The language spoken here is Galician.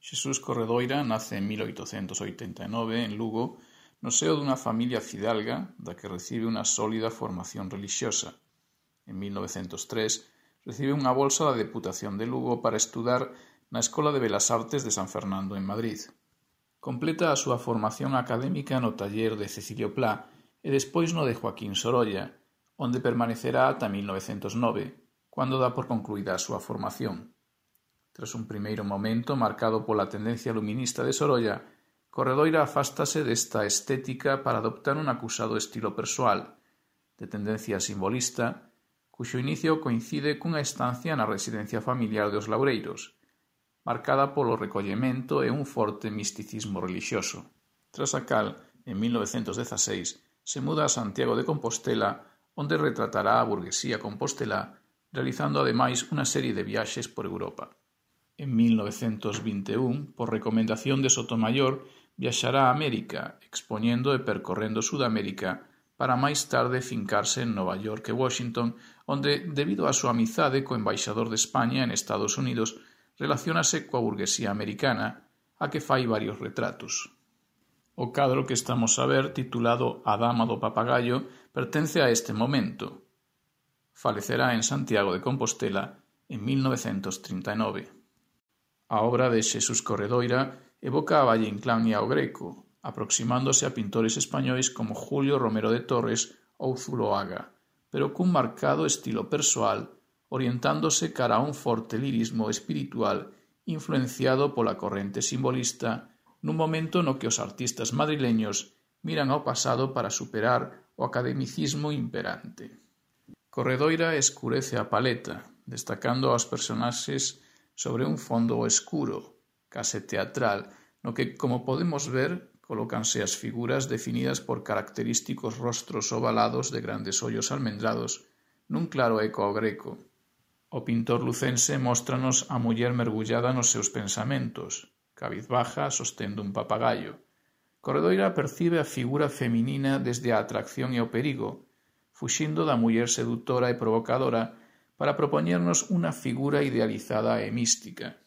Xesús Corredoira nace en 1889 en Lugo, no seo dunha familia fidalga da que recibe unha sólida formación relixiosa. En 1903 recibe unha bolsa da Deputación de Lugo para estudar na Escola de Belas Artes de San Fernando en Madrid. Completa a súa formación académica no taller de Cecilio Plá e despois no de Joaquín Sorolla, onde permanecerá ata 1909, cando dá por concluída a súa formación. Tras un primeiro momento marcado pola tendencia luminista de Sorolla, Corredoira afástase desta estética para adoptar un acusado estilo persoal, de tendencia simbolista, cuxo inicio coincide cunha estancia na residencia familiar dos Laureiros, marcada polo recollemento e un forte misticismo relixioso. Tras a cal, en 1916, se muda a Santiago de Compostela, onde retratará a burguesía compostelá, realizando ademais unha serie de viaxes por Europa. En 1921, por recomendación de Sotomayor, viaxará a América, expoñendo e percorrendo Sudamérica, para máis tarde fincarse en Nova York e Washington, onde, debido á súa amizade co embaixador de España en Estados Unidos, relaciónase coa burguesía americana, a que fai varios retratos. O cadro que estamos a ver, titulado A dama do papagaio, pertence a este momento. Falecerá en Santiago de Compostela en 1939. A obra de Xesús Corredoira evoca a Valle Inclán e ao Greco, aproximándose a pintores españois como Julio Romero de Torres ou Zuloaga, pero cun marcado estilo persoal, orientándose cara a un forte lirismo espiritual influenciado pola corrente simbolista nun momento no que os artistas madrileños miran ao pasado para superar o academicismo imperante. Corredoira escurece a paleta, destacando aos personaxes sobre un fondo escuro, case teatral, no que, como podemos ver, colócanse as figuras definidas por característicos rostros ovalados de grandes ollos almendrados, nun claro eco ao Greco. O pintor lucense móstranos a muller mergullada nos seus pensamentos, cabizbaja sostendo un papagaio. Corredoira percibe a figura feminina desde a atracción e o perigo, fuxindo da muller sedutora e provocadora para propoñernos unha figura idealizada e mística.